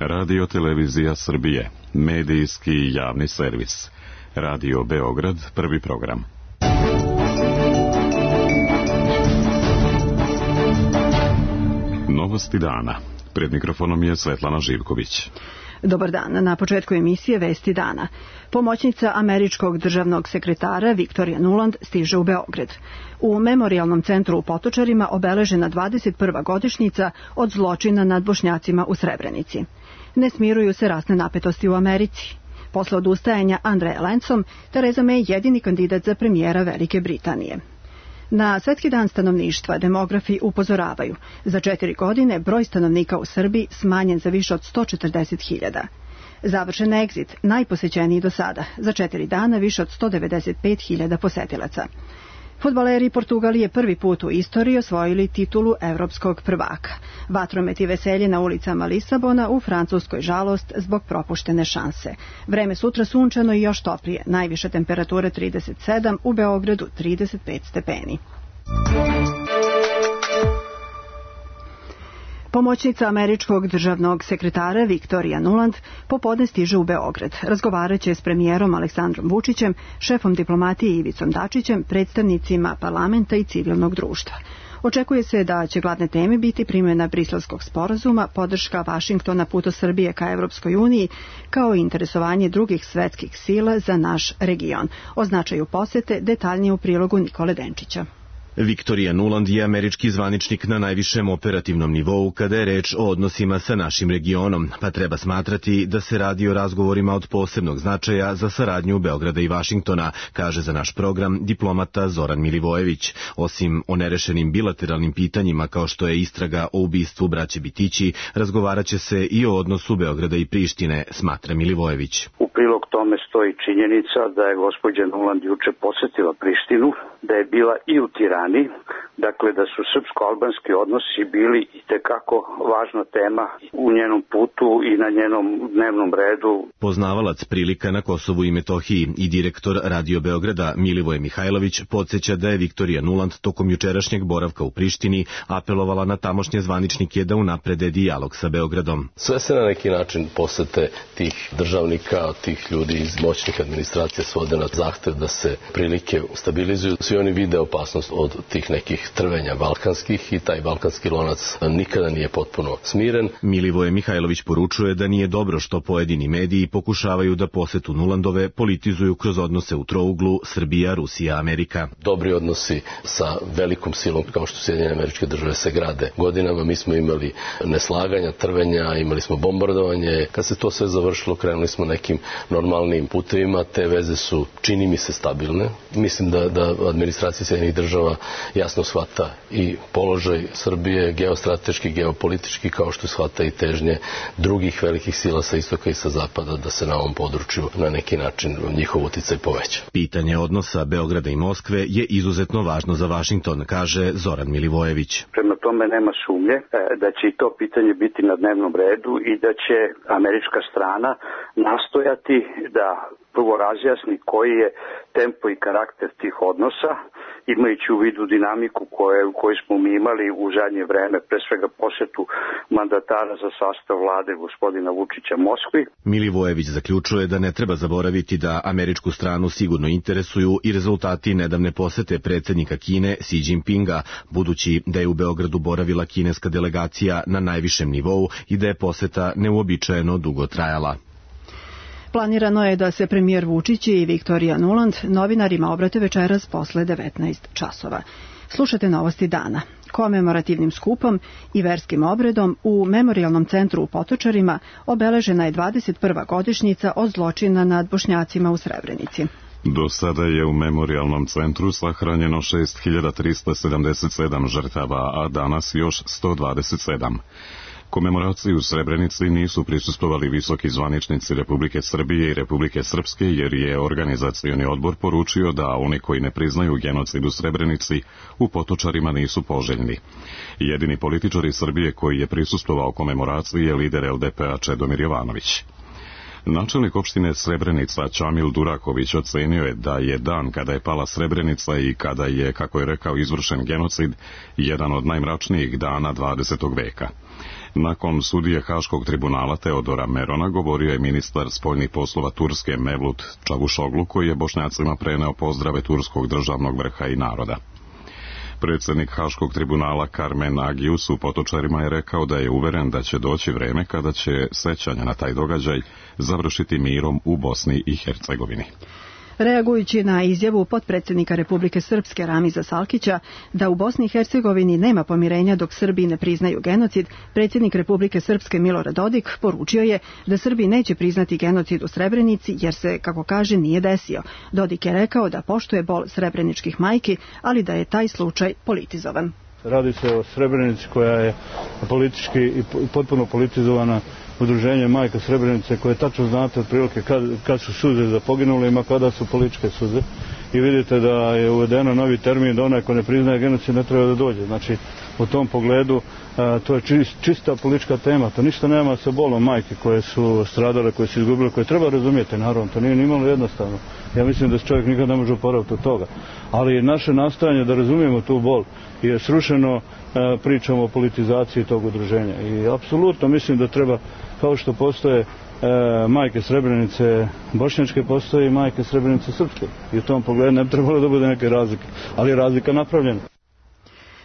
Radio Televizija Srbije, medijski javni servis. Radio Beograd, prvi program. Novosti dana. Pred mikrofonom je Svetlana Živković. Dobar dan. Na početku emisije Vesti dana. Pomoćnica američkog državnog sekretara Viktorija Nuland stiže u Beograd. U Memorijalnom centru u Potočarima obeležena 21. godišnjica od zločina nad Bošnjacima u Srebrenici. Ne smiruju se rasne napetosti u Americi. Posle odustajanja Andreja Lencom, Theresa May jedini kandidat za premijera Velike Britanije. Na Svetski dan stanovništva demografi upozoravaju. Za 4 godine broj stanovnika u Srbiji smanjen za više od 140.000. Završen egzit, najposećeniji do sada. Za 4 dana više od 195.000 posetilaca. Fudbaleri Portugalije prvi put u istoriji osvojili titulu evropskog prvaka. Vatromet i veselje na ulicama Lisabona, u Francuskoj žalost zbog propuštene šanse. Vreme sutra sunčano i još toplije, najviša temperatura 37, u Beogradu 35 stepeni. Pomoćnica američkog državnog sekretara Viktorija Nuland popodne stiže u Beograd. Razgovaraće s premijerom Aleksandrom Vučićem, šefom diplomatije Ivicom Dačićem, predstavnicima parlamenta i civilnog društva. Očekuje se da će glavne teme biti primjena Briselskog sporazuma, podrška Vašingtona putu Srbije ka Evropskoj uniji, kao i interesovanje drugih svetskih sila za naš region. O značaju posete detaljnije u prilogu Nikole Denčića. Viktorija Nuland je američki zvaničnik na najvišem operativnom nivou kada je reč o odnosima sa našim regionom, pa treba smatrati da se radi o razgovorima od posebnog značaja za saradnju Beograda i Vašingtona, kaže za naš program diplomata Zoran Milivojević. Osim o nerešenim bilateralnim pitanjima kao što je istraga o ubistvu braće Bitići, razgovaraće se i o odnosu Beograda i Prištine, smatra Milivojević. U prilog tome stoji činjenica da je gospođa Nuland juče posetila Prištinu, da je bila i u Tirani, dakle da su srpsko-albanski odnosi bili itekako važna tema u njenom putu i na njenom dnevnom redu. Poznavalac prilika na Kosovu i Metohiji i direktor Radio Beograda Milivoje Mihajlović podsjeća da je Viktorija Nuland tokom jučerašnjeg boravka u Prištini apelovala na tamošnje zvaničnike da unaprede dijalog sa Beogradom. Sve se na neki način posete tih državnika, tih ljudi iz moćnih administracija svode na zahtev da se prilike stabilizuju. Svi oni vide opasnost od tih nekih trvenja balkanskih i taj balkanski lonac nikada nije potpuno smiren. Milivoje Mihajlović poručuje da nije dobro što pojedini mediji pokušavaju da posetu Nulandove politizuju kroz odnose u trouglu Srbija, Rusija, Amerika. Dobri odnosi sa velikom silom kao što Sjedinjene Američke Države se grade godinama. Mi smo imali neslaganja, trvenja, imali smo bombardovanje. Kad se to sve završilo, krenuli smo nekim normalnim putevima. Te veze su, čini mi se, stabilne. Mislim da administracija Sjedinjenih Država jasno shvata i položaj Srbije, geostrateški, geopolitički, kao što shvata i težnje drugih velikih sila sa istoka i sa zapada da se na ovom području na neki način njihov uticaj poveća. Pitanje odnosa Beograda i Moskve je izuzetno važno za Vašington, kaže Zoran Milivojević. Prema tome nema sumnje da će i to pitanje biti na dnevnom redu i da će američka strana nastojati da prvo razjasni koji je tempo i karakter tih odnosa, imajući u vidu dinamiku koju smo mi imali u zadnje vreme, pre svega posetu mandatara za sastav vlade gospodina Vučića Moskvi. Milivojević zaključuje da ne treba zaboraviti da američku stranu sigurno interesuju i rezultati nedavne posete predsjednika Kine Xi Jinpinga, budući da je u Beogradu boravila kineska delegacija na najvišem nivou i da je poseta neuobičajeno dugo trajala. Planirano je da se premijer Vučić i Viktorija Nuland novinarima obrate večeras posle 19 časova. Slušate novosti dana. Komemorativnim skupom i verskim obredom u Memorijalnom centru u Potočarima obeležena je 21. godišnjica od zločina nad Bošnjacima u Srebrenici. Do sada je u Memorijalnom centru sahranjeno 6.377 žrtava, a danas još 127. Komemoraciji u Srebrenici nisu prisustvovali visoki zvaničnici Republike Srbije i Republike Srpske, jer je organizacioni odbor poručio da oni koji ne priznaju genocid u Srebrenici u Potočarima nisu poželjni. Jedini političar iz Srbije koji je prisustvovao komemoraciji je lider LDP-a Čedomir Jovanović. Načelnik opštine Srebrenica Čamil Duraković ocenio je da je dan kada je pala Srebrenica i kada je, kako je rekao, izvršen genocid, jedan od najmračnijih dana 20. veka. Nakon sudije Haškog tribunala Teodora Merona govorio je ministar spoljnih poslova Turske Mevlut Čavuşoglu, koji je Bošnjacima preneo pozdrave turskog državnog vrha i naroda. Predsjednik Haškog tribunala Karmen Agius u Potočarima je rekao da je uveren da će doći vreme kada će sećanja na taj događaj završiti mirom u Bosni i Hercegovini. Reagujući na izjavu potpredsjednika Republike Srpske Ramiza Salkića da u Bosni i Hercegovini nema pomirenja dok Srbi ne priznaju genocid, predsjednik Republike Srpske Milorad Dodik poručio je da Srbi neće priznati genocid u Srebrenici jer se, kako kaže, nije desio. Dodik je rekao da poštuje bol srebreničkih majki, ali da je taj slučaj politizovan. Radi se o Srebrenici koja je politički i potpuno politizovana. Udruženje Majka Srebrenice koje tačno znate otprilike kad su suze za poginulima, kada su političke suze. I vidite da je uvedeno novi termin da onaj ko ne priznaje genocid ne treba da dođe. Znači, u tom pogledu to je čista politička tema. To ništa nema sa bolom majke koje su stradale, koje su izgubile, koje treba razumjeti, naravno. To nije nimalo jednostavno. Ja mislim da se čovjek nikad ne može oporaviti od toga. Ali naše nastojanje da razumijemo tu bol je srušeno pričom o politizaciji tog udruženja. I apsolutno mislim da treba, kao što postoje majke Srebrenice bošnjačke, postoje i majke Srebrenice srpske. I u tom pogledu ne bi trebalo da bude neke razlike. Ali je razlika napravljena.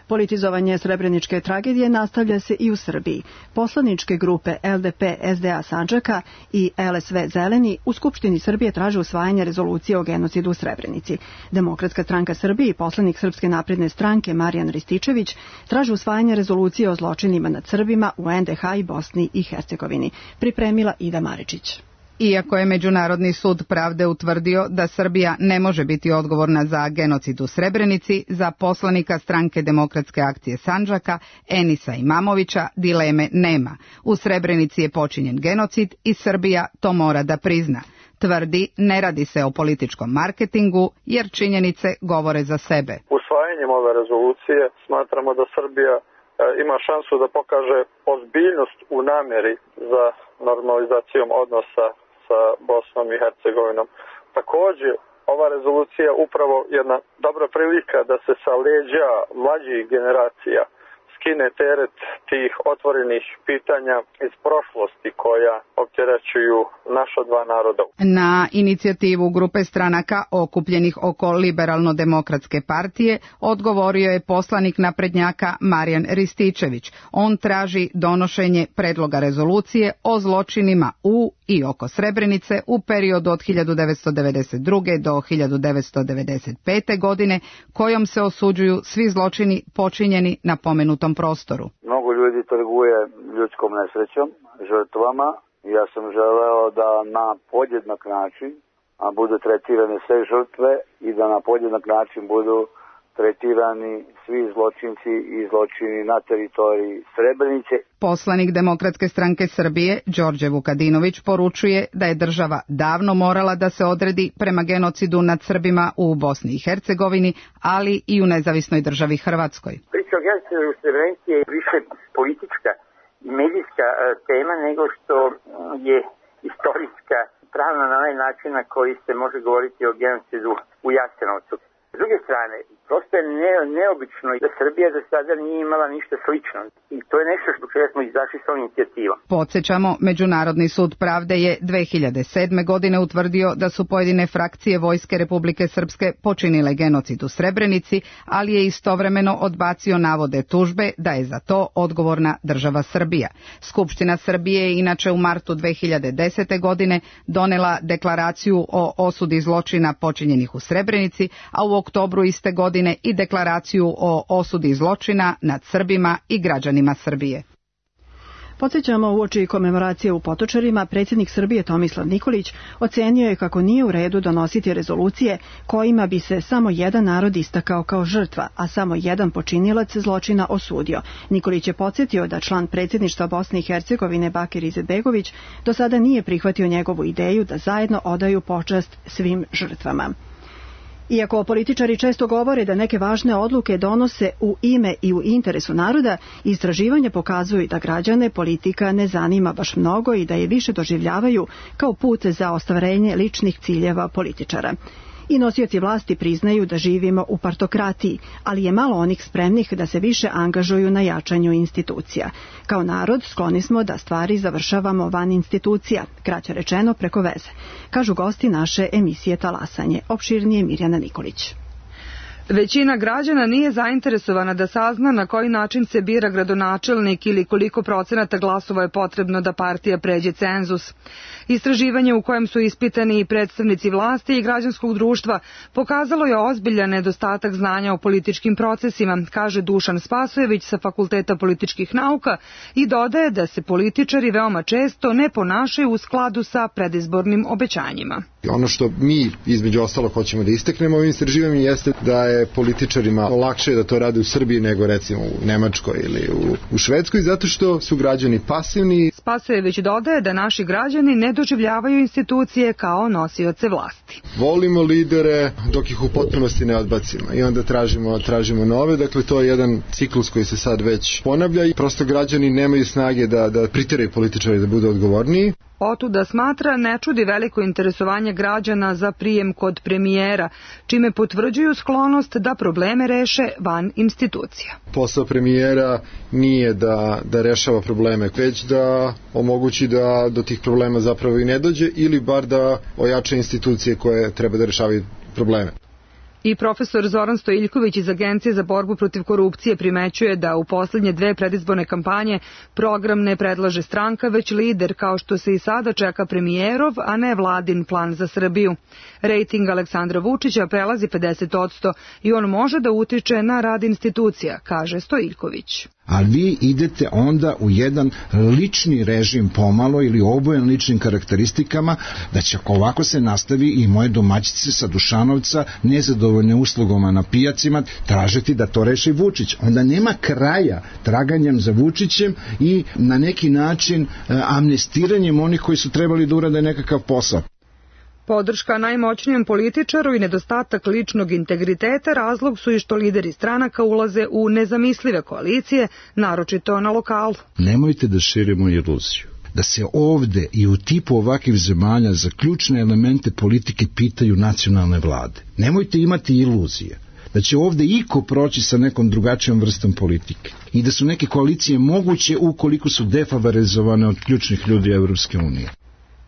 Politizovanje srebreničke tragedije nastavlja se i u Srbiji. Poslaničke grupe LDP, SDA Sandžaka i LSV Zeleni u Skupštini Srbije traže usvajanje rezolucije o genocidu u Srebrenici. Demokratska stranka Srbije i poslanik Srpske napredne stranke Marijan Rističević traže usvajanje rezolucije o zločinima nad Srbima u NDH i Bosni i Hercegovini. Pripremila Ida Maričić. Iako je Međunarodni sud pravde utvrdio da Srbija ne može biti odgovorna za genocid u Srebrenici, za poslanika stranke Demokratske akcije Sandžaka, Enisa Imamovića, dileme nema. U Srebrenici je počinjen genocid i Srbija to mora da prizna. Tvrdi, ne radi se o političkom marketingu, jer činjenice govore za sebe. Usvajanjem ove rezolucije smatramo da Srbija ima šansu da pokaže ozbiljnost u namjeri za normalizacijom odnosa sa Bosnom i Hercegovinom. Također, ova rezolucija upravo jedna dobra prilika da se sa leđa mlađih generacija skine teret tih otvorenih pitanja iz prošlosti koja opterećuju naša dva naroda. Na inicijativu grupe stranaka okupljenih oko Liberalno-demokratske partije odgovorio je poslanik naprednjaka Marijan Rističević. On traži donošenje predloga rezolucije o zločinima u i oko Srebrenice u periodu od 1992. do 1995. godine, kojom se osuđuju svi zločini počinjeni na pomenutom prostoru. Mnogo ljudi trguje ljudskom nesrećom, žrtvama. Ja sam želeo da na podjednak način budu tretirane sve žrtve i da na podjednak način budu tretirani svi zločinci i zločini na teritoriji Srebrenice. Poslanik Demokratske stranke Srbije, Đorđe Vukadinović, poručuje da je država davno morala da se odredi prema genocidu nad Srbima u Bosni i Hercegovini, ali i u nezavisnoj državi Hrvatskoj. Priča o genocidu u Srebrenici je više politička i medijska tema nego što je istorijska, pravno na onaj način na koji se može govoriti o genocidu u Jasenovcu. S druge strane, prosto je neobično da Srbija do sada nije imala ništa slično. I to je nešto što čega smo izašli s ovom inicijativom. Podsjećamo, Međunarodni sud pravde je 2007. godine utvrdio da su pojedine frakcije Vojske Republike Srpske počinile genocid u Srebrenici, ali je istovremeno odbacio navode tužbe da je za to odgovorna država Srbija. Skupština Srbije je inače u martu 2010. godine donela deklaraciju o osudi zločina počinjenih u Srebrenici, a u oktobru iste godine i deklaraciju o osudi zločina nad Srbima i građanima Srbije. Podsjećamo, uoči komemoracije u Potočarima, predsjednik Srbije Tomislav Nikolić ocenio je kako nije u redu donositi rezolucije kojima bi se samo jedan narod istakao kao žrtva, a samo jedan počinilac zločina osudio. Nikolić je podsjetio da član predsjedništva Bosne i Hercegovine Bakir Izetbegović do sada nije prihvatio njegovu ideju da zajedno odaju počast svim žrtvama. Iako političari često govore da neke važne odluke donose u ime i u interesu naroda, istraživanja pokazuju da građane politika ne zanima baš mnogo i da je više doživljavaju kao put za ostvarenje ličnih ciljeva političara. I nosioci vlasti priznaju da živimo u partokratiji, ali je malo onih spremnih da se više angažuju na jačanju institucija. Kao narod skloni smo da stvari završavamo van institucija, kraće rečeno preko veze, kažu gosti naše emisije Talasanje. Opširnije Mirjana Nikolić. Većina građana nije zainteresovana da sazna na koji način se bira gradonačelnik ili koliko procenata glasova je potrebno da partija pređe cenzus. Istraživanje u kojem su ispitani i predstavnici vlasti i građanskog društva pokazalo je ozbiljan nedostatak znanja o političkim procesima, kaže Dušan Spasojević sa Fakulteta političkih nauka i dodaje da se političari veoma često ne ponašaju u skladu sa predizbornim obećanjima. Ono što mi između ostalo hoćemo da istaknemo ovim istraživanjem jeste da je političarima lakše da to rade u Srbiji nego recimo u Nemačkoj ili u Švedskoj, zato što su građani pasivni. Spasojević dodaje da naši građani ne doživljavaju institucije kao nosioce vlasti. Volimo lidere dok ih u potpunosti ne odbacimo i onda tražimo nove, dakle to je jedan ciklus koji se sad već ponavlja i prosto građani nemaju snage da priteraju političari da budu odgovorniji. Otuda smatra ne čudi veliko interesovanje građana za prijem kod premijera, čime potvrđuju sklonost da probleme reše van institucija. Posao premijera nije da rešava probleme, već da omogući da do tih problema zapravo i ne dođe ili bar da ojača institucije koje treba da rešavaju probleme. I profesor Zoran Stojiljković iz Agencije za borbu protiv korupcije primećuje da u poslednje 2 predizborne kampanje program ne predlaže stranka, već lider, kao što se i sada čeka premijerov, a ne vladin plan za Srbiju. Rejting Aleksandra Vučića prelazi 50% i on može da utiče na rad institucija, kaže Stojiljković. Ali vi idete onda u jedan lični režim pomalo ili obojen ličnim karakteristikama, da će ako ovako se nastavi i moje domaćice sa Dušanovca nezadovoljne uslugama na pijacima tražiti da to reši Vučić. Onda nema kraja traganjem za Vučićem i na neki način amnestiranjem onih koji su trebali da urade nekakav posao. Podrška najmoćnijem političaru i nedostatak ličnog integriteta razlog su i što lideri stranaka ulaze u nezamislive koalicije, naročito na lokalu. Nemojte da širimo iluziju da se ovde i u tipu ovakvih zemalja za ključne elemente politike pitaju nacionalne vlade. Nemojte imati iluzije da će ovde iko proći sa nekom drugačijom vrstom politike i da su neke koalicije moguće ukoliko su defavorizovane od ključnih ljudi Evropske unije.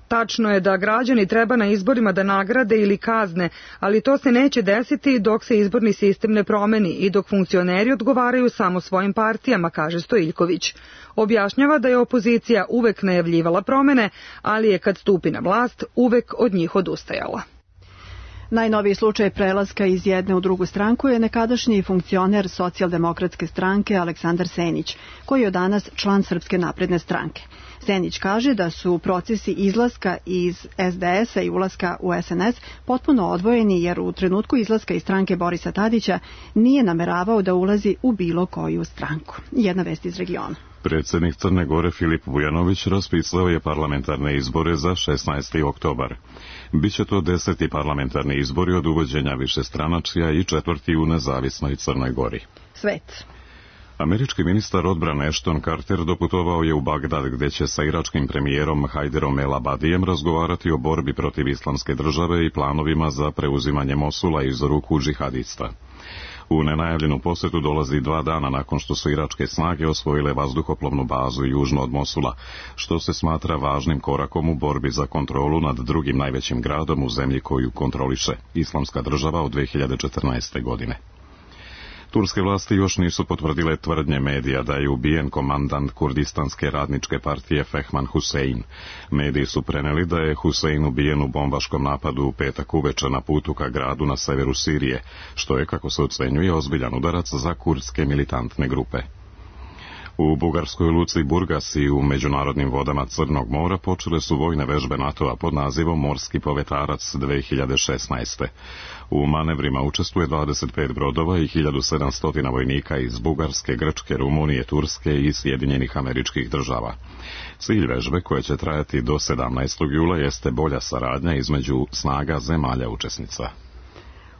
Tačno je da građani treba na izborima da nagrade ili kazne, ali to se neće desiti dok se izborni sistem ne promeni i dok funkcioneri odgovaraju samo svojim partijama, kaže Stojiljković. Objašnjava da je opozicija uvek najavljivala promene, ali je kad stupi na vlast uvek od njih odustajala. Najnoviji slučaj prelaska iz jedne u drugu stranku je nekadašnji funkcioner Socijaldemokratske stranke Aleksandar Senić, koji je od danas član Srpske napredne stranke. Senić kaže da su procesi izlaska iz SDS-a i ulaska u SNS potpuno odvojeni jer u trenutku izlaska iz stranke Borisa Tadića nije nameravao da ulazi u bilo koju stranku. Jedna vest iz regiona. Predsjednik Crne Gore Filip Vujanović raspisao je parlamentarne izbore za 16. oktobar. Biće to 10. parlamentarni izbori od uvođenja višestranačja i 4. u nezavisnoj Crnoj Gori. Svet. Američki ministar odbrane Ashton Carter doputovao je u Bagdad gdje će sa iračkim premijerom Hajderom El Abadijem razgovarati o borbi protiv islamske države i planovima za preuzimanje Mosula iz ruku džihadista. U nenajavljenu posjetu dolazi 2 dana nakon što su iračke snage osvojile vazduhoplovnu bazu južno od Mosula, što se smatra važnim korakom u borbi za kontrolu nad drugim najvećim gradom u zemlji koju kontroliše Islamska država od 2014. godine. Turske vlasti još nisu potvrdile tvrdnje medija da je ubijen komandant Kurdistanske radničke partije Fehman Husein. Mediji su preneli da je Husein ubijen u bombaškom napadu u petak uveče na putu ka gradu na severu Sirije, što je, kako se ocenjuje, ozbiljan udarac za kurdske militantne grupe. U bugarskoj luci Burgas i u međunarodnim vodama Crnog mora počele su vojne vežbe NATO-a pod nazivom Morski povetarac 2016. U manevrima učestvuje 25 brodova i 1700 vojnika iz Bugarske, Grčke, Rumunije, Turske i Sjedinjenih Američkih Država. Cilj vežbe, koje će trajati do 17. jula, jeste bolja saradnja između snaga zemalja učesnica.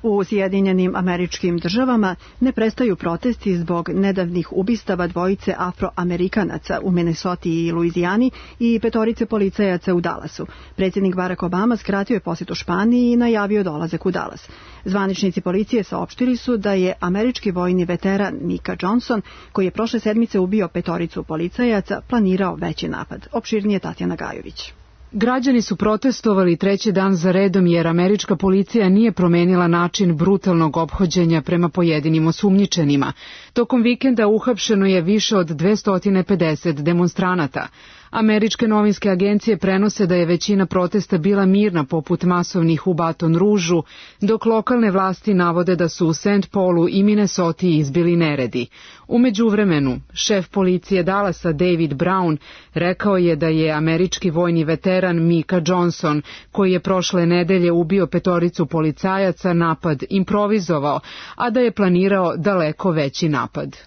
U Sjedinjenim Američkim Državama ne prestaju protesti zbog nedavnih ubistava dvojice Afroamerikanaca u Minnesoti i Luizijani i 5 policajaca u Dallasu. Predsjednik Barack Obama skratio je posjetu Španiji i najavio dolazak u Dallas. Zvaničnici policije saopštili su da je američki vojni veteran Micah Johnson, koji je prošle sedmice ubio 5 policajaca, planirao veći napad. Opširnije Tatjana Gajović. Građani su protestovali 3. dan za redom jer američka policija nije promenila način brutalnog ophođenja prema pojedinim osumnjičenima. Tokom vikenda uhapšeno je više od 250 demonstranata. Američke novinske agencije prenose da je većina protesta bila mirna poput masovnih u Baton Rouge-u, dok lokalne vlasti navode da su u St. Paulu i Minnesoti izbili neredi. U međuvremenu, šef policije Dallasa David Brown rekao je da je američki vojni veteran Micah Johnson, koji je prošle nedelje ubio 5 policajaca, napad improvizovao, a da je planirao daleko veći napad.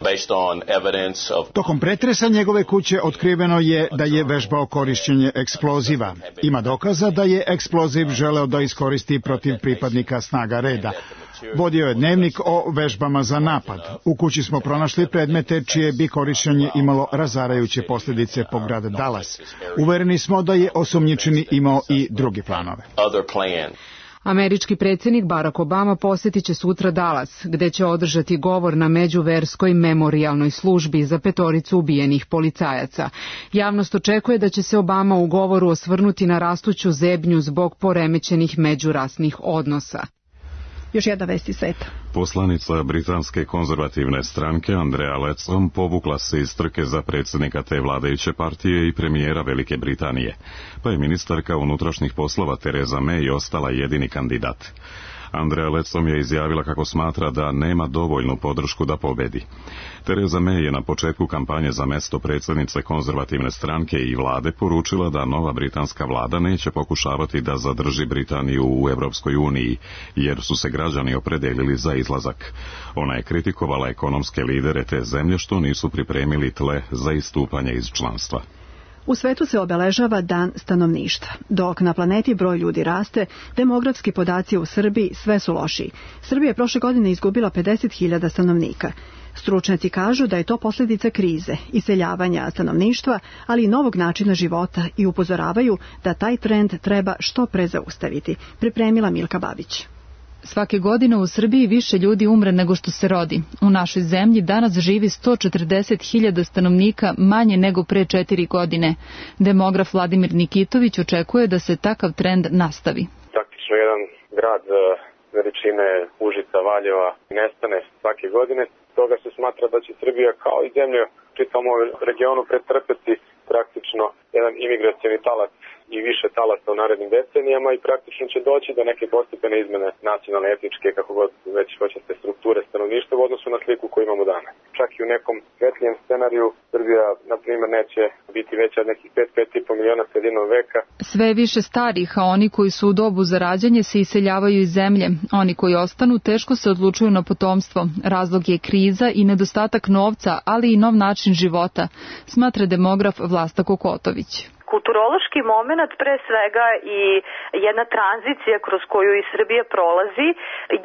Tokom pretresa njegove kuće otkriveno je da je vežbao korišćenje eksploziva. Ima dokaza da je eksploziv želeo da iskoristi protiv pripadnika snaga reda. Vodio je dnevnik o vežbama za napad. U kući smo pronašli predmete čije bi korišćenje imalo razarajuće posljedice po grad Dallas. Uvereni smo da je osumnjičeni imao i drugi planove. Američki predsjednik Barack Obama posjetit će sutra Dallas, gde će održati govor na međuverskoj memorijalnoj službi za 5 ubijenih policajaca. Javnost očekuje da će se Obama u govoru osvrnuti na rastuću zebnju zbog poremećenih međurasnih odnosa. Još jedna vest iz sveta. Poslanica britanske konzervativne stranke Andrea Leadsom povukla se iz trke za predsjednika te vladajuće partije i premijera Velike Britanije, pa je ministarka unutrašnjih poslova Theresa May ostala jedini kandidat. Andrea Leadsom je izjavila kako smatra da nema dovoljnu podršku da pobedi. Theresa May je na početku kampanje za mesto predsjednice konzervativne stranke i vlade poručila da nova britanska vlada neće pokušavati da zadrži Britaniju u Europskoj uniji, jer su se građani opredelili za izlazak. Ona je kritikovala ekonomske lidere te zemlje što nisu pripremili tle za istupanje iz članstva. U svetu se obeležava Dan stanovništva. Dok na planeti broj ljudi raste, demografski podaci u Srbiji sve su lošiji. Srbija je prošle godine izgubila 50.000 stanovnika. Stručnjaci kažu da je to posljedica krize, iseljavanja stanovništva, ali i novog načina života i upozoravaju da taj trend treba što pre zaustaviti. Pripremila Milka Babić. Svake godine u Srbiji više ljudi umre nego što se rodi. U našoj zemlji danas živi 140.000 stanovnika manje nego pre 4 godine. Demograf Vladimir Nikitović očekuje da se takav trend nastavi. Praktično jedan grad veličine Užica, Valjeva nestane svake godine. Toga se smatra da će Srbija kao i zemlja čitavom regionu pretrpeti praktično jedan imigracioni talac i više talasa u narednim decenijama i praktično će doći do neke postepene izmene nacionalne, etničke, kako god već hoćete, strukture stanovništva u odnosu na sliku koju imamo danas. Čak i u nekom svetlijem scenariju Srbija, na primjer, neće biti veća od nekih 5,5 miliona sredinom veka. Sve više starih, a oni koji su u dobu za rađanje se iseljavaju iz zemlje. Oni koji ostanu teško se odlučuju na potomstvo. Razlog je kriza i nedostatak novca, ali i nov način života, smatra demograf Vlasta Kokotović. Kulturološki moment, pre svega i jedna tranzicija kroz koju i Srbija prolazi,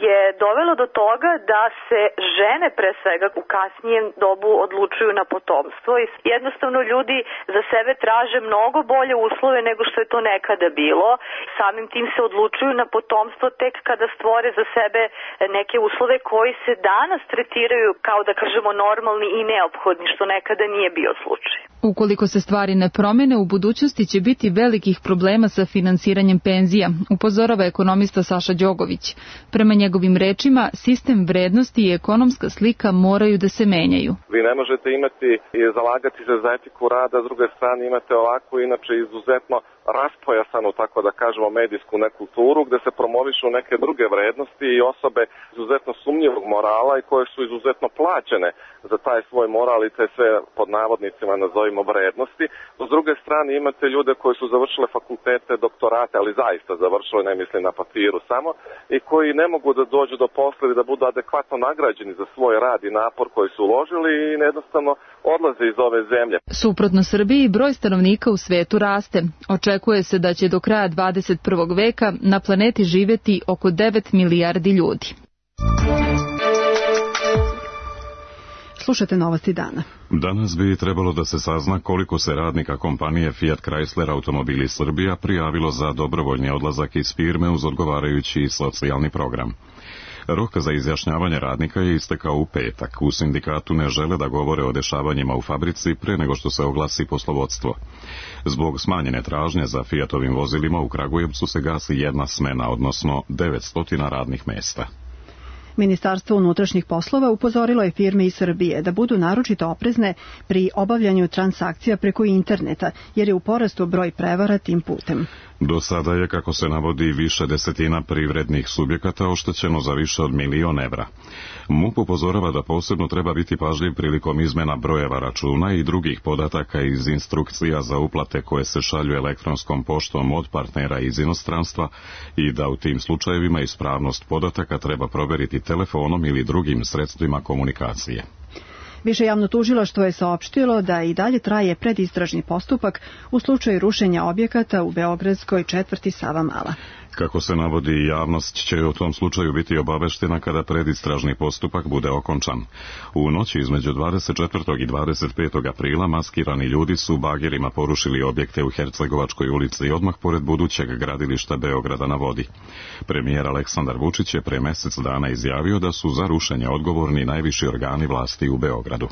je dovelo do toga da se žene pre svega u kasnijem dobu odlučuju na potomstvo i jednostavno ljudi za sebe traže mnogo bolje uslove nego što je to nekada bilo. Samim tim se odlučuju na potomstvo tek kada stvore za sebe neke uslove koji se danas tretiraju kao, da kažemo, normalni i neophodni, što nekada nije bio slučaj. Ukoliko se stvari ne promene, u budućnosti će biti velikih problema sa finansiranjem penzija, upozorava ekonomista Saša Đogović. Prema njegovim rečima, sistem vrednosti i ekonomska slika moraju da se menjaju. Vi ne možete imati i zalagati se za etiku rada, s druge strane imate ovako, inače izuzetno raspojasanu, tako da kažemo, medijsku nekulturu, gde se promovišu neke druge vrednosti i osobe izuzetno sumnjivog morala i koje su izuzetno plaćene za taj svoj moral i te sve pod navodnicima nazovimo vrednosti. S druge strane imate ljude koji su završile fakultete, doktorate, ali zaista završile, ne mislim na papiru samo, i koji ne mogu da dođu do posla ili da budu adekvatno nagrađeni za svoj rad i napor koji su uložili i jednostavno odlaze iz ove zemlje. Suprotno Srbiji, broj stanovnika u svetu raste. Očekuje se da će do kraja 21. veka na planeti živjeti oko 9 milijardi ljudi. Slušate novosti dana. Danas bi trebalo da se sazna koliko se radnika kompanije Fiat Chrysler Automobili Srbija prijavilo za dobrovoljni odlazak iz firme uz odgovarajući socijalni program. Rok za izjašnjavanje radnika je istekao u petak. U sindikatu ne žele da govore o dešavanjima u fabrici pre nego što se oglasi poslovodstvo. Zbog smanjene tražnje za Fiatovim vozilima u Kragujevcu se gasi jedna smena, odnosno 900 radnih mesta. Ministarstvo unutrašnjih poslova upozorilo je firme iz Srbije da budu naročito oprezne pri obavljanju transakcija preko interneta, jer je u porastu broj prevara tim putem. Do sada je, kako se navodi, više desetina privrednih subjekata oštećeno za više od 1.000.000 evra. MUP upozorava da posebno treba biti pažljiv prilikom izmena brojeva računa i drugih podataka iz instrukcija za uplate koje se šalju elektronskom poštom od partnera iz inostranstva i da u tim slučajevima ispravnost podataka treba proveriti telefonom ili drugim sredstvima komunikacije. Više javno tužilaštvo je saopštilo da i dalje traje predistražni postupak u slučaju rušenja objekata u beogradskoj četvrti Savamala. Kako se navodi, javnost će u tom slučaju biti obaveštena kada predistražni postupak bude okončan. U noći između 24. i 25. aprila maskirani ljudi su bagerima porušili objekte u Hercegovačkoj ulici odmah pored budućeg gradilišta Beograda na vodi. Premijer Aleksandar Vučić je pre mesec dana izjavio da su za rušenje odgovorni najviši organi vlasti u Beogradu.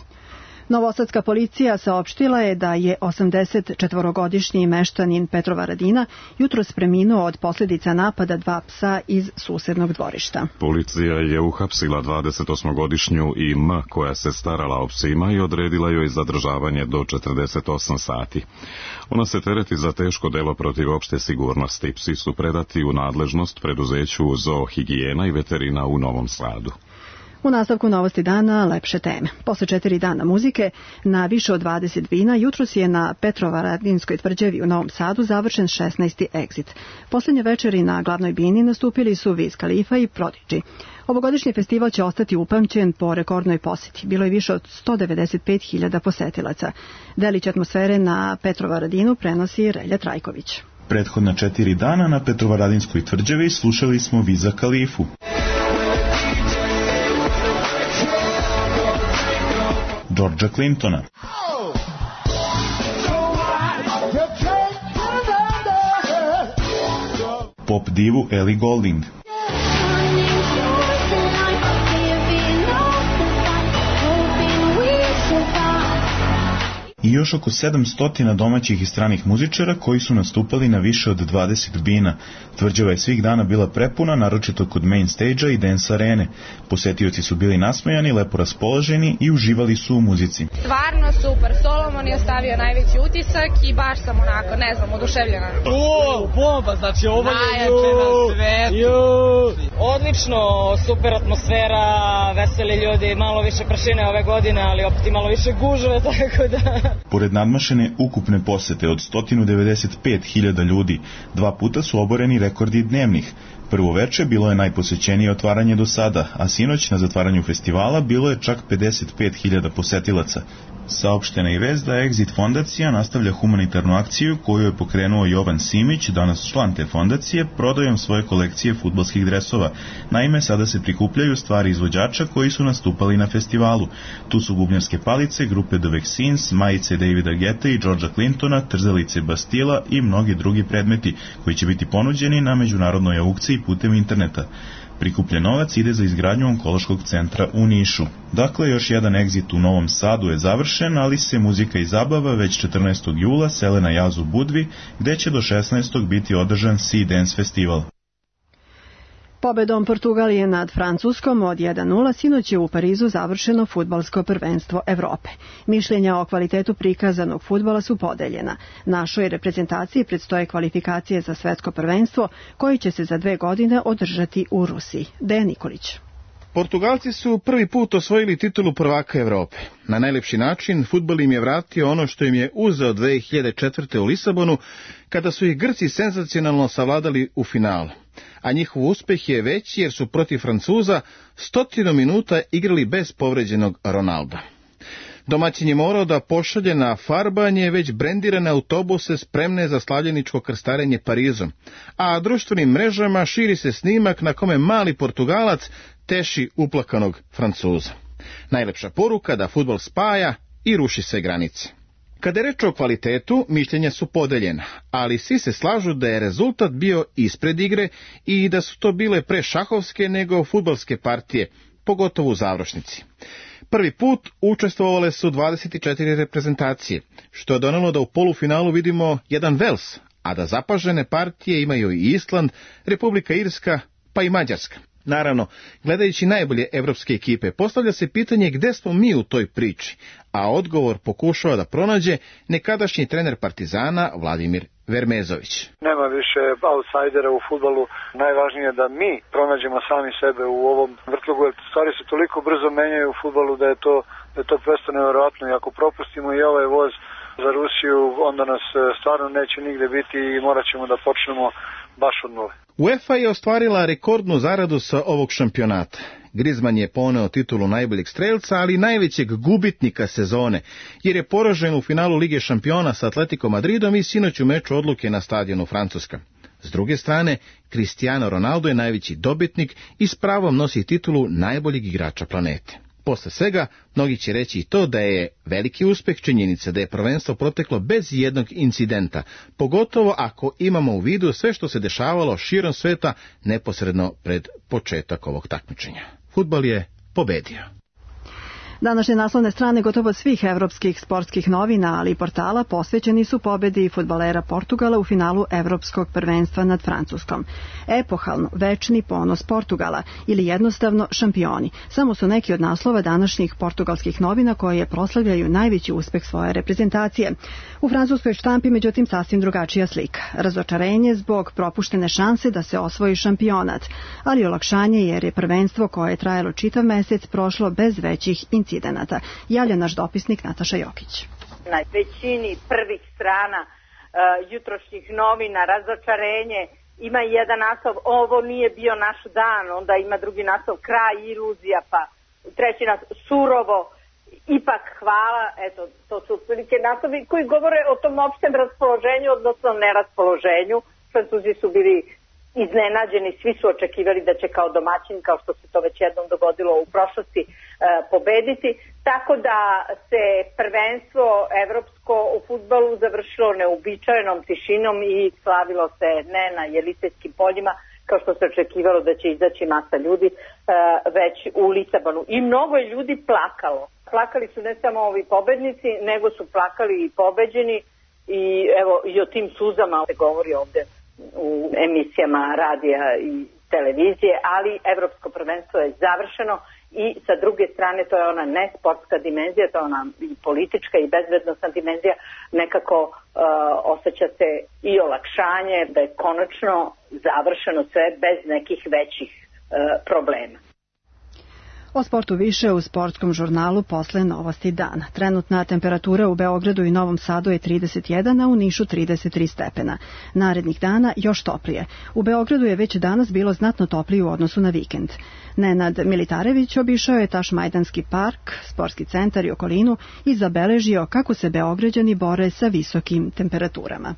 Novosadska policija saopštila je da je 84-godišnji meštanin Petrovaradina jutros preminuo od posljedica napada dva psa iz susednog dvorišta. Policija je uhapsila 28-godišnju I.M. koja se starala o psima i odredila joj zadržavanje do 48 sati. Ona se tereti za teško delo protiv opšte sigurnosti. Psi su predati u nadležnost preduzeću Zoohigijena i veterina u Novom Sadu. U nastavku novosti dana lepše teme. Posle 4 dana muzike na više od 20 vina jutros je na Petrovaradinskoj tvrđavi u Novom Sadu završen 16. Exit. Posljednje večeri na glavnoj bini nastupili su Wiz Khalifa i Prodigy. Ovogodišnji festival će ostati upamćen po rekordnoj poseti. Bilo je više od 195.000 posetilaca. Delić atmosfere na Petrovaradinu prenosi Relja Trajković. Prethodna 4 dana na Petrovaradinskoj tvrđavi slušali smo Wiza Khalifu, Georgea Clintona, pop divu Ellie Goulding, i još oko 700 domaćih i stranih muzičara koji su nastupali na više od 20 bina. Tvrđava je svih dana bila prepuna, naročito kod main stage-a i dance arene. Posetioci su bili nasmejani, lepo raspoloženi i uživali su u muzici. Stvarno super, Solomon je ostavio najveći utisak i baš sam onako, ne znam, oduševljena. Bomba, znači ovo je najjače na svetu. Odlično, super atmosfera, veseli ljudi, malo više prašine ove godine, ali opet i malo više gužve, tako da... Pored nadmašene ukupne posete od 195.000 ljudi, 2 puta su oboreni rekordi dnevnih. Prvo veče bilo je najposećenije otvaranje do sada, a sinoć na zatvaranju festivala bilo je čak 55.000 posetilaca. Saopštena je vest da Exit fondacija nastavlja humanitarnu akciju koju je pokrenuo Jovan Simić, danas član te fondacije, prodajom svoje kolekcije fudbalskih dresova. Naime, sada se prikupljaju stvari izvođača koji su nastupali na festivalu. Tu su bubnjarske palice, grupe The Vaccines, majice Davida Guetta i Georgea Clintona, trzalice Bastila i mnogi drugi predmeti koji će biti ponuđeni na međunarodnoj aukciji putem interneta. Prikupljen novac ide za izgradnju onkološkog centra u Nišu. Dakle, još jedan Exit u Novom Sadu je završen, ali se muzika i zabava već 14. jula sele na jaz u Budvi, gde će do 16. biti održan Sea Dance festival. Pobedom Portugalije nad Francuskom od 1:0 sinoć je u Parizu završeno fudbalsko prvenstvo Evrope. Mišljenja o kvalitetu prikazanog fudbala su podeljena. Našoj reprezentaciji predstoje kvalifikacije za svetsko prvenstvo koje će se za 2 godine održati u Rusiji. Dejan Nikolić. Portugalci su prvi put osvojili titulu prvaka Evrope. Na najlepši način fudbal im je vratio ono što im je uzeo 2004. u Lisabonu, kada su ih Grci senzacionalno savladali u finalu. A njihov uspeh je veći jer su protiv Francuza 100 minuta igrali bez povređenog Ronalda. Domaćin je morao da pošalje na farbanje već brendirane autobuse spremne za slavljeničko krstarenje Parizom, a društvenim mrežama širi se snimak na kome mali Portugalac teši uplakanog Francuza. Najlepša poruka da fudbal spaja i ruši sve granice. Kada je reč o kvalitetu, mišljenja su podeljena, ali svi se slažu da je rezultat bio ispred igre i da su to bile pre šahovske nego fudbalske partije, pogotovo u završnici. Prvi put učestvovale su 24 reprezentacije, što je donelo da u polufinalu vidimo jedan Vels, a da zapažene partije imaju i Island, Republika Irska, pa i Mađarska. Naravno, gledajući najbolje evropske ekipe, postavlja se pitanje gde smo mi u toj priči, a odgovor pokušava da pronađe nekadašnji trener Partizana Vladimir Vermezović. Nema više outsidera u fudbalu, najvažnije je da mi pronađemo sami sebe u ovom vrtlogu, jer stvari se toliko brzo menjaju u fudbalu da je to prosto nevjerojatno i ako propustimo i ovaj voz za Rusiju, onda nas stvarno neće nigde biti i morat ćemo da počnemo baš od nule. UEFA je ostvarila rekordnu zaradu sa ovog šampionata. Griezmann je poneo titulu najboljeg strelca, ali najvećeg gubitnika sezone, jer je poražen u finalu Lige šampiona sa Atletico Madridom i sinoć u meču odluke na stadionu Francuska. S druge strane, Cristiano Ronaldo je najveći dobitnik i s pravom nosi titulu najboljeg igrača planete. Posle svega, mnogi će reći i to da je veliki uspeh činjenica da je prvenstvo proteklo bez jednog incidenta, pogotovo ako imamo u vidu sve što se dešavalo širom sveta neposredno pred početak ovog takmičenja. Fudbal je pobedio. Današnje naslovne strane gotovo svih evropskih sportskih novina, ali i portala posvećeni su pobedi fudbalera Portugala u finalu evropskog prvenstva nad Francuskom. Epohalno, večni ponos Portugala ili jednostavno šampioni. Samo su neki od naslova današnjih portugalskih novina koje proslavljaju najveći uspeh svoje reprezentacije. U francuskoj štampi, međutim, sasvim drugačija slika. Razočarenje zbog propuštene šanse da se osvoji šampionat, ali olakšanje jer je prvenstvo koje je trajalo čitav mesec prošlo bez većih incidenata. Javlja naš dopisnik Nataša Jokić. Na većini prvih strana jutrošnjih novina razočarenje, ima jedan naslov ovo nije bio naš dan, onda ima drugi naslov kraj iluzija, pa treći naslov surovo, ipak hvala. Eto, to su otprilike naslovi koji govore o tom opštem raspoloženju, odnosno neraspoloženju. Francuzi su bili iznenađeni, svi su očekivali da će kao domaćin, kao što se to već jednom dogodilo u prošlosti, pobediti, tako da se prvenstvo evropsko u fudbalu završilo neuobičajenom tišinom i slavilo se ne na Jelisejskim poljima, kao što se očekivalo da će izaći masa ljudi, već u Lisabonu. I mnogo je ljudi plakalo. Plakali su ne samo ovi pobednici, nego su plakali i pobeđeni i evo i o tim suzama se govori ovde u emisijama radija i televizije, ali evropsko prvenstvo je završeno i sa druge strane to je ona nesportska dimenzija, to je ona i politička i bezbednosna dimenzija, nekako osjeća se i olakšanje da je konačno završeno sve bez nekih većih problema. O sportu više u sportskom žurnalu posle Novosti dana. Trenutna temperatura u Beogradu i Novom Sadu je 31, a u Nišu 33 stepena. Narednih dana još toplije. U Beogradu je već danas bilo znatno toplije u odnosu na vikend. Nenad Militarević obišao je Tašmajdanski park, sportski centar i okolinu i zabeležio kako se Beograđani bore sa visokim temperaturama.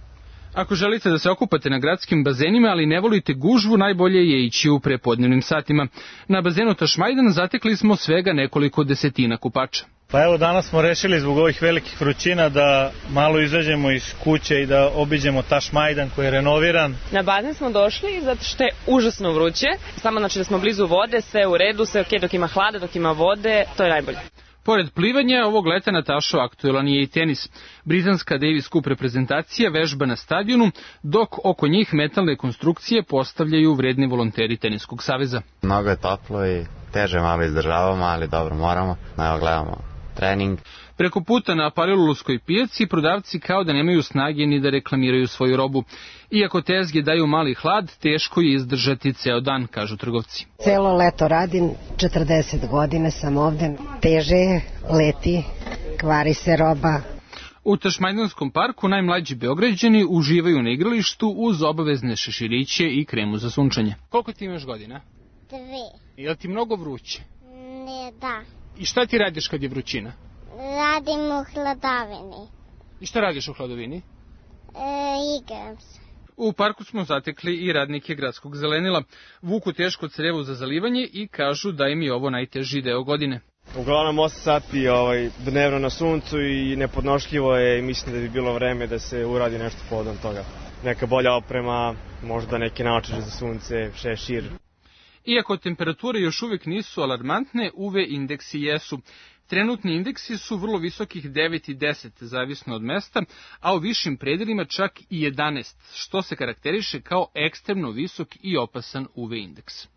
Ako želite da se okupate na gradskim bazenima, ali ne volite gužvu, najbolje je ići u prepodnevnim satima. Na bazenu Tašmajdan zatekli smo svega nekoliko desetina kupača. Pa evo, danas smo rešili zbog ovih velikih vrućina da malo izađemo iz kuće i da obiđemo Tašmajdan koji je renoviran. Na bazen smo došli zato što je užasno vruće, samo znači da smo blizu vode, sve u redu, sve ok, dok ima hlada, dok ima vode, to je najbolje. Pored plivanja, ovog leta Natašo aktuelan je i tenis. Britanska Davis Cup reprezentacija vežba na stadionu, dok oko njih metalne konstrukcije postavljaju vredni volonteri Teniskog saveza. Mnogo je toplo i teže malo izdržavamo, ali dobro moramo. Evo gledamo trening. Preko puta na Palilulskoj pijaci prodavci kao da nemaju snage ni da reklamiraju svoju robu. Iako tezge daju mali hlad, teško je izdržati ceo dan, kažu trgovci. Celo leto radim, 40 godina sam ovde, teže je, leti, kvari se roba. U Tašmajdanskom parku najmlađi Beograđani uživaju na igralištu uz obavezne šeširiće i kremu za sunčanje. Koliko ti imaš godina? 2. Je li ti mnogo vruće? Ne, da. I šta ti radiš kad je vrućina? Radim u hladovini. I šta radiš u hladovini? Igram se. U parku smo zatekli i radnike gradskog zelenila. Vuku teško crevo za zalivanje i kažu da im je ovo najteži deo godine. Uglavnom 8 sati dnevno na suncu i nepodnošljivo je i mislim da bi bilo vreme da se uradi nešto povodom toga. Neka bolja oprema, možda neke naočare za sunce, šešir. Iako temperature još uvijek nisu alarmantne, UV indeksi jesu. Trenutni indeksi su vrlo visokih 9 i 10, zavisno od mesta, a u višim predelima čak i 11, što se karakteriše kao ekstremno visok i opasan UV indeks.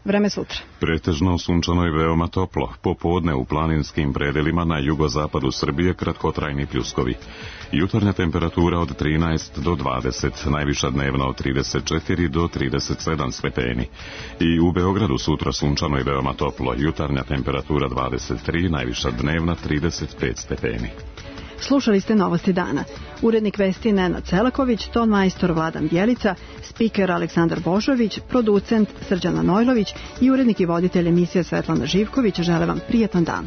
Vreme sutra. Pretežno sunčano i veoma toplo. Popodne u planinskim predelima na jugozapadu Srbije kratkotrajni pljuskovi. Jutarnja temperatura od 13 do 20, najviša dnevna od 34 do 37 stepeni. I u Beogradu sutra sunčano i veoma toplo. Jutarnja temperatura 23, najviša dnevna 35 stepeni. Slušali ste Novosti dana. Urednik vesti Nenad Selaković, ton majstor Vladan Bjelica, spiker Aleksandar Božović, producent Srđan Manojlović i urednik i voditelj emisije Svetlana Živković žele vam prijatan dan.